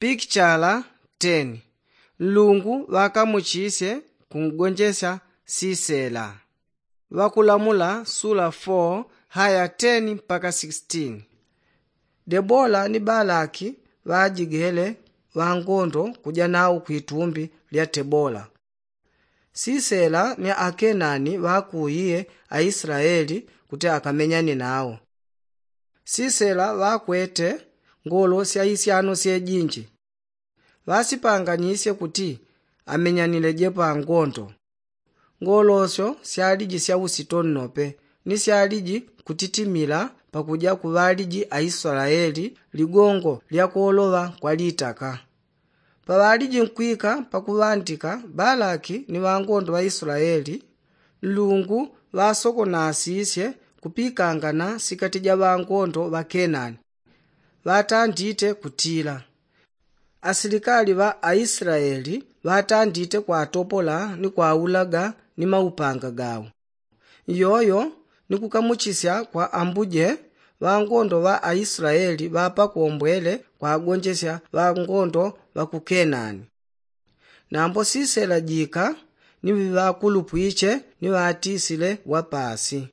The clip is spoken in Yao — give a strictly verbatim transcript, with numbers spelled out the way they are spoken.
Pikichala ten. Nlungu ŵakamuchisye kungonjesya sisela. Ŵakulamula sula four haya ten mpaka sixteen. Debola ni balaki ŵajigele ŵangondo kuja nawo kwitumbi lya tebola. Sisela ni akenani ŵakuiye aislaeli kuti akamenyane nawo. Sisela ŵakwete ngolo sya isyano syejinji. Ŵasipanganisye kuti amenyanile jepa ngondo. Ngolo syo syaliji sya usito nnope ni syaliji kutitimila pakuja ku ŵaliji aislaeli ligongo lya kuoloŵa kwa litaka. Paŵaliji nkwika pakuŵandika balaki ni ŵangondo ŵa islaeli, nlungu ŵasokonasisye kupikangana sikati ja ŵangondo ŵa kenani. Ŵatandite kutila. Asilikali ŵa aislaeli ŵatandite kwatopola ni kwaulaga ni maupanga gawo. Iyoyo ni kukamuchisya kwa ambuje ŵangondo ŵa aislaeli ŵapakombwele kwagonjesya ŵangondo ŵa ku kenani. Nambo sisela jika ni ŵakulupwiche ni ŵatisile wapasi.